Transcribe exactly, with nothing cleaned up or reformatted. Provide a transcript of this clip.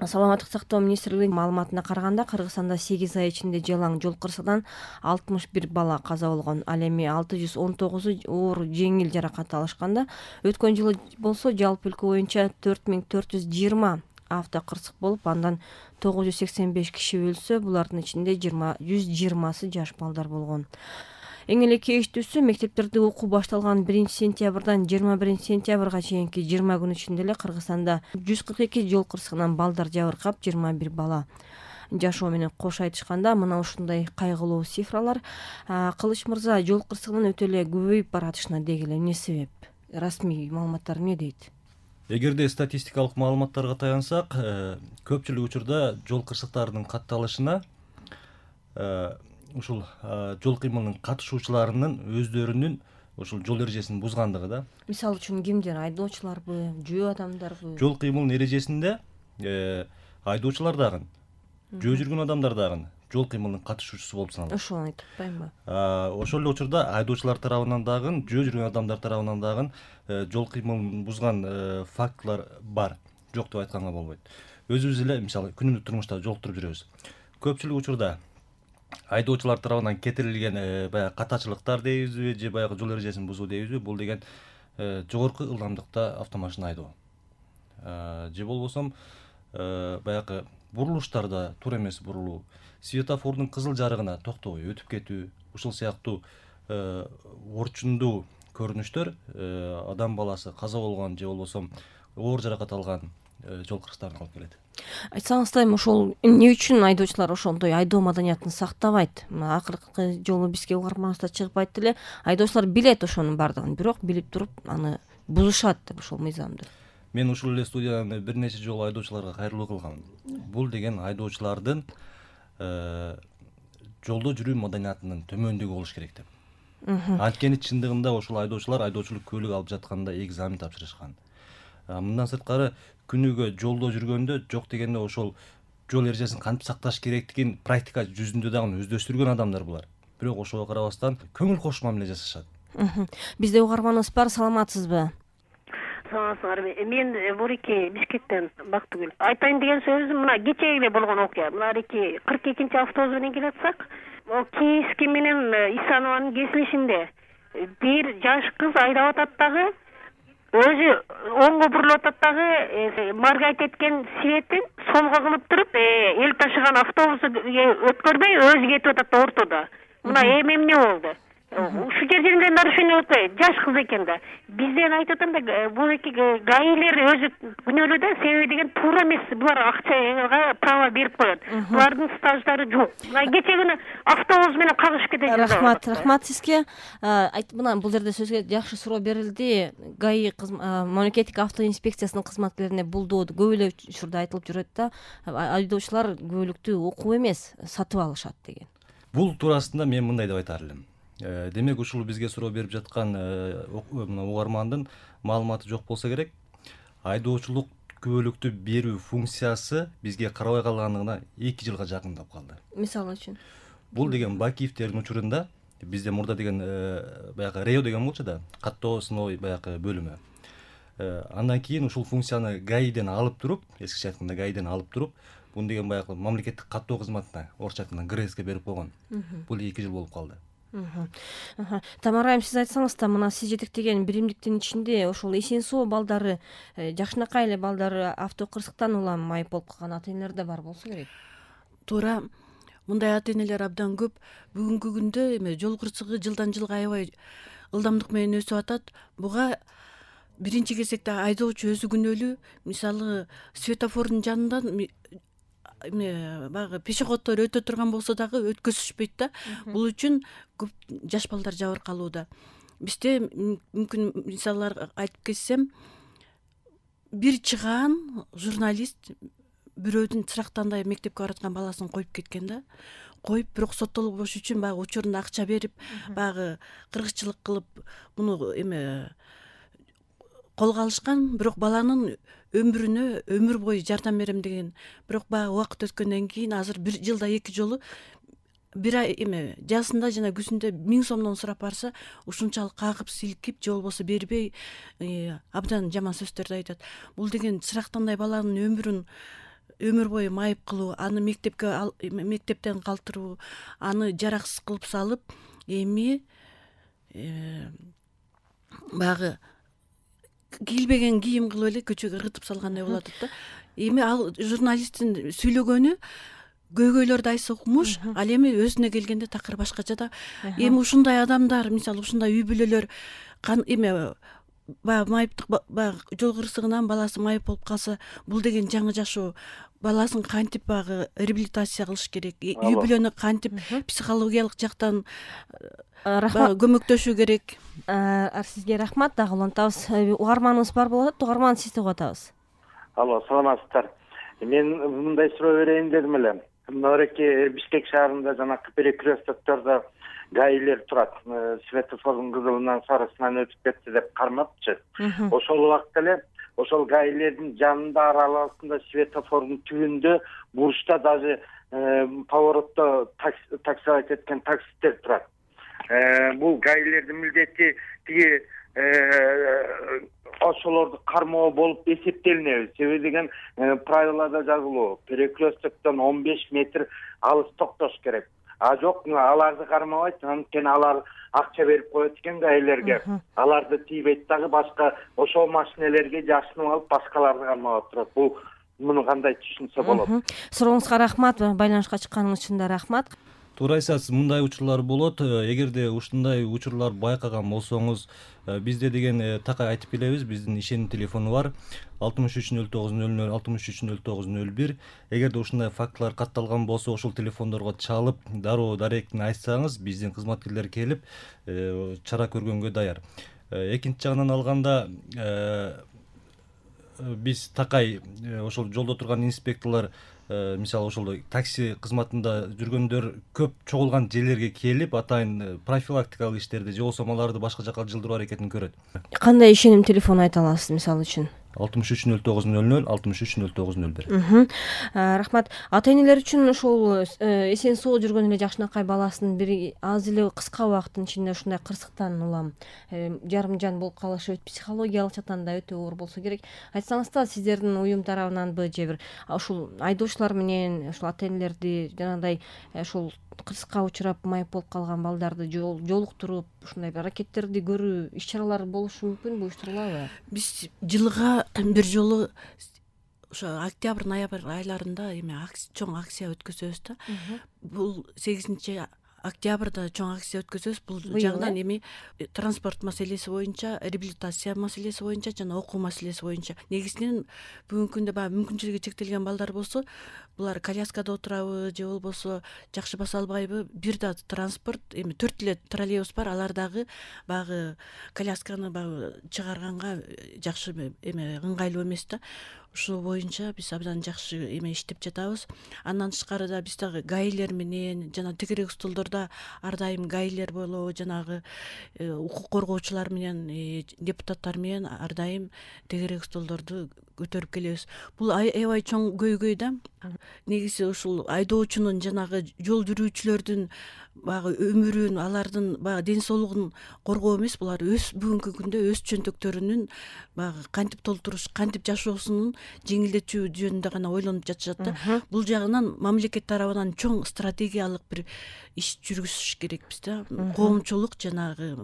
Саламаттык сактоо министрлигинин маалыматына караганда, Кыргызстанда сегиз ай ичинде жалаң жол кырсыгынан алтымыш бир бала каза болгон. Ал эми алты жүз он тогузу оор жеңил жаракат алышканда, өткөн жылы болсо жалпы өлкө боюнча төрт миң төрт жүз жыйырма авто кырсык болуп, андан тогуз жүз сексен беш киши өлсө, булардын ичинде жүз жыйырмасы жаш балдар болгон. Эң эле кейиштүүсү, мектептерде окуу башталган биринчи сентябрдан жыйырма биринчи сентябрга чейинки жыйырма күн ичинде эле Кыргызстанда жүз кырк эки жол кырсыгынан балдар жабыркап, жыйырма бир бала жашоо менен кош айтышканда, мына ушундай кайгылуу цифралар Кылыч мырза жол кырсыгынын өтө эле көбөйүп баратышына деги эле эмне себеп? Расмий маалыматтар эмне дейт? Эгерде статистикалык маалыматтарга таянсак, көпчүлүк учурда жол кырсыктарынын катталышына ушул жол кыймылынын катышуучуларынын өздөрүнүн ушул жол эрежесин бузгандыгы да. Мисалы үчүн кимдер? Айдоочуларбы, жөө адамдарбы? Жол кыймылынын эрежесинде айдоочулар дагы, жөө жүргөн адамдар дагы жол кыймылынын катышуучусу болуп саналат. Ошону айтып атпаймынбы? Ошол эле учурда айдоочулар тарабынан дагы, жөө жүргөн адамдар тарабынан дагы жол кыймылын бузган фактылар бар. Жок деп айтканга болбойт. Өзүбүз эле мисалы күнүмдүк турмушта жолуктуруп жүрөбүз. Көпчүлүк учурда айдоочулар тарабынан кетирилген баягы катачылыктар дейбизби, же баягы жол эрежесин бузуу дейбизби, бул деген жогорку ылдамдыкта автомашина айдоо. Же болбосо баягы бурулуштарда туура эмес бурулуу, светофордун кызыл жарыгына токтобой өтүп кетүү, ушул сыяктуу орчундуу көрүнүштөр адам баласы каза болгон же болбосо оор жаракат алган жол кырсыктарына алып келет. Айтсаңыздар, ошол эмне үчүн айдоочулар ошондой айдоо маданиятын сактабайт? Акыркы жолу бизге угарманыбызда чыгып айтты эле, айдоочулар билет ошонун бардыгын, бирок билип туруп аны бузушат деп ошол мыйзамды. Мен ушул эле студияда бир нече жолу айдоочуларга кайрылуу кылгам. Бул деген айдоочулардын жолдо жүрүү маданиятынын төмөндүгү болуш керек деп. Анткени чындыгында ошол айдоочулар айдоочулук көлүк алып жатканда экзамен тапшырышкан. Мындан сырткары күнүгө жолдо жүргөндө жок дегенде ошол жол эрежесин кантип сакташ керектигин практика жүзүндө дагы өздөштүргөн адамдар булар. Бирок ошого карабастан көңүл кош мамиле жасашат. Бизде угарманыбыз бар, саламатсызбы? Саламатсыздарбы? Мен Борике Бишкектен Бактыгүл. Айтайын деген сөзүм мына кечээ эле болгон окуя. Мына эки кырк экинчи автобус менен келатсак, Кийиски менен Исанованын кесилишинде бир жаш кыз айдап атат дагы, өзү оңго бурулуп атат дагы, моргать эткен светин солго кылып туруп, эл ташыган автобусу өткөрбөй өзү кетип атат да ортодо. Мына эми эмне болду? Ушу жерде нарушение өтпөй, жаш кыз экен да. Бизден айтып атам да, бул эки гаилер өзү күнөөлүү да, себеби деген туура эмес. Булар акчага право берип коет. Булардын стаждары жок. Мына кечээ күнү автобус менен кагышып кетет. Рахмат, рахмат сизге. Мына бул жерде сөзгө жакшы суроо берилди. ГАИ мамлекеттик авто инспекциясынын кызматкерлерине бул доо көп эле учурда айтылып жүрөт да, айдоочулар көбөлүктү окуп эмес, сатып алышат деген. Бул туурасында мен мындай деп айтар элем. Демек ушул бизге суроо берип жаткан угармандын маалыматы жок болсо керек. Айдоочулук күбөлүктү берүү функциясы бизге карабай калганына эки жылга жакындап калды. Мисалы үчүн бул деген Бакиевтердин учурунда бизде мурда деген баягы Рео деген болчу да, каттоо сыновой баягы бөлүмү. Андан кийин ушул функцияны ГАИден алып туруп, эскиче айтканда ГАИден алып туруп, бун деген баягы мамлекеттик каттоо кызматына, орусча айтканда ГРЭСке берип койгон. Бул эки жыл болуп калды. Тамара айым, сиз айтсаңыз да, мына сиз жетектеген биримдиктин ичинде ошол эсен соо балдары, жакшынакай эле балдары авто кырсыктан улам майып болуп калган ата энелер да бар болсо керек. Туура, мындай ата энелер абдан көп. Бүгүнкү күндө эме жол кырсыгы жылдан жылга аябай ылдамдык менен өсүп атат. Буга биринчи кезекте айдоочу өзү күнөөлүү. Мисалы, светофордун жанынан эме баягы пешеходдор өтө турган болсо дагы өткөзүшпөйт да. Бул үчүн көп жаш балдар жабыркалууда. Бизде мүмкүн мисалдар айтып кетсем, бир чыгаан журналист бирөөдүн чырактандай мектепке бараткан баласын коюп кеткен да. Коюп, бирок соттолбош үчүн баягы учурунда акча берип, баягы кыргызчылык кылып, муну эме колго алышкан, бирок баланын өмүрүнө өмүр бою жардам берем деген. Бирок баягы убакыт өткөндөн кийин азыр бир жылда эки жолу бир ай эме жазында жана күзүндө миң сомдон сурап барса, ушунчалык кагып силкип же болбосо бербей абдан жаман сөздөрдү айтат. Бул деген чырактандай баланын өмүрүн өмүр бою майып кылуу, аны мектепке мектептен калтыруу, аны жараксыз кылып салып, эми баягы кийилбеген кийим кылып эле көчөгө ыргытып салгандай болуп атат да. Эми ал журналисттин сүйлөгөнү көйгөйлөрдү айтса укмуш, ал эми өзүнө келгенде такыр башкача да. Эми ушундай адамдар, мисалы ушундай үй бүлөлөр эме баягы майыптык баягы жол кырсыгынан баласы майып болуп калса, бул деген жаңы жашоо. Баласын кантип баягы реабилитация кылыш керек, үй бүлөнү кантип психологиялык жактан көмөктөшүү керек. Сизге рахмат, дагы улантабыз. Угарманыбыз бар болуп атат, угарман сизди угуп атабыз. Алло, саламатсыздар. Мен мындай суроо берейин дедим эле. Мынабеки Бишкек шаарында жанакы перекрестоктордо гаилер турат. Светофордун кызылынан сарысынан өтүп кетти деп кармапчы. Ошол убакта эле ошол гаилердин жанында аралыгында светофордун түбүндө бурчта даже поворотто таксовать эткен таксисттер турат. Бул гаилердин милдети тиги ошолорду кармоо болуп эсептелинеби. Себеби деген правилада жазылуу, перекрестоктон он беш метр алыс токтош керек. А жок, аларды кармабайт, анткени алар акча берип коет экен гаилерге. Аларды тийбейт дагы, башка ошол машинелерге жашынып алып башкаларды кармап турат. Бул муну кандай түшүнсө болот? Сурооңузга рахмат, байланышка чыкканыңыз үчүн да рахмат. Туура айтасыз, мындай учурлар болот. Эгерде ушундай учурлар байкаган болсоңуз, бизде деген такай айтып келебиз. Биздин ишеним телефону бар: алтымыш үч нөл тогуз нөл нөл алтымыш үч нөл тогуз нөл бир. Эгерде ушундай фактылар катталган болсо, ошол телефондорго чалып, дароо даректин айтсаңыз, биздин кызматкерлер келип, чара көргөнгө даяр. Экинчи жагынан алганда, биз такай ошол жолдо турган инспекторлор, мисалы ошол такси кызматында жүргөндөр көп чогулган жерлерге келип, атайын профилактикалык иштерди же болбосо аларды башка жака жылдыруу аракетин көрөт. Кандай ишеним телефону айта аласыз мисалы үчүн? алтымыш үч нөл тогуз нөл нөл алтымыш үч нөл тогуз нөл бир. Рахмат. Ата энелер үчүн ошол эсен соо жүргөн эле жакшынакай баласынын бир аз эле кыска убакыттын ичинде ушундай кырсыктан улам жарым жан болуп калышы психологиялык жактан да өтө оор болсо керек. Айтсаңыз да, сиздердин уюм тарабынанбы же бир ушул айдоочулар менен ушул ата энелерди жанагындай ушул кырсыкка учурап майып болуп калган балдарды жолуктуруп ушундай аракеттерди көрүү иш-чаралар болушу мүмкүнбү, уюштурулабы? Биз жылга бир жолу ошо октябрь ноябрь айларында эме чоң акция өткөзөбүз да. Бул сегизинчи октябрда чоң акция өткөзөбүз. Бул жагынан эми транспорт маселеси боюнча, реабилитация маселеси боюнча жана окуу маселеси боюнча. Негизинен бүгүнкү күндө баягы мүмкүнчүлүгү чектелген балдар болсо, булар коляскада отурабы же болбосо жакшы баса албайбы, бир да транспорт, эми төрт эле троллейбус бар, алар дагы баягы колясканы баягы чыгарганга жакшы эме ыңгайлуу эмес да. Ушул боюнча биз абдан жакшы эме иштеп жатабыз. Андан тышкары да биз дагы гаилер менен жана тегерек столдордо ар дайым гаилер болобу, жанагы укук коргоочулар менен, депутаттар менен ар дайым тегерек столдорду көтөрүп келебиз. Бул аябай чоң көйгөй да. Негизи ушул айдоочунун жанагы жол жүрүүчүлөрдүн баягы өмүрүн, алардын баягы ден соолугун коргоо эмес, булар өз бүгүнкү күндө өз чөнтөктөрүнүн баягы кантип толтуруш, кантип жашоосунун жеңилдетүү жөнүндө гана ойлонуп жатышат да. Бул жагынан мамлекет тарабынан чоң стратегиялык бир иш жүргүзүш керекпиз да. Коомчулук жанагы